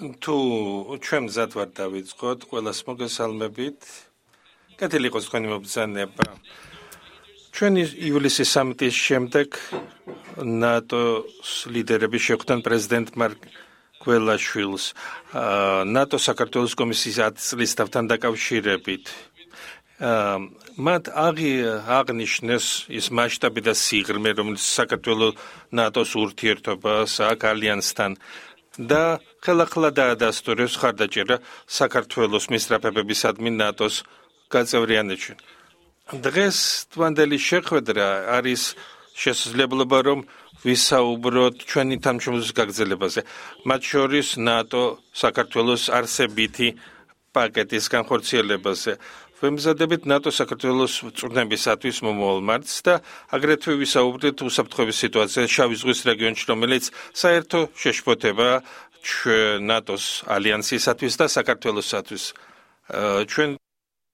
თუ ჩვენ მზად ვარ დავიწყოთ, ყველას მოგესალმებით. კეთილი იყოს თქვენი მობრძანება. ჩვენ ივლისის სამიტის შემდეგ ნატოს ლიდერები შეხვდნენ პრეზიდენტ მარკ გველაშვილს ნატო საქართველოს კომისიის 10 წლის თავთან დაკავშირებით. მათ აღნიშნეს ის მასშტაბი და სიღრმე, რომელიც საქართველოს ნატოს ურთიერთობას აქვს ალიანსთან და ხელახლა დაადასტურებს ხარდაჭერა საქართველოს მისწრაფებებისადმი ნატოს გაწევრიანებაში. დღეს თვანდელი შეხვედრა არის შესაძლებლობა, რომ ვისაუბროთ ჩვენი თანამშრომლობის გაგრძელებაზე, მათ შორის ნატო საქართველოს არსებითი პაკეტის განხორციელებაზე. ვემზადებით ნატო საქართველოს წვრთნებისათვის მომავალ მარტს და აგრეთვე ვისაუბრეთ უსაფრთხოების სიტუაციაზე შავი ზღვის რეგიონში, რომელიც საერთო შეშფოთებაა ნატოს ალიანსისათვის და საქართველოსათვის. ჩვენ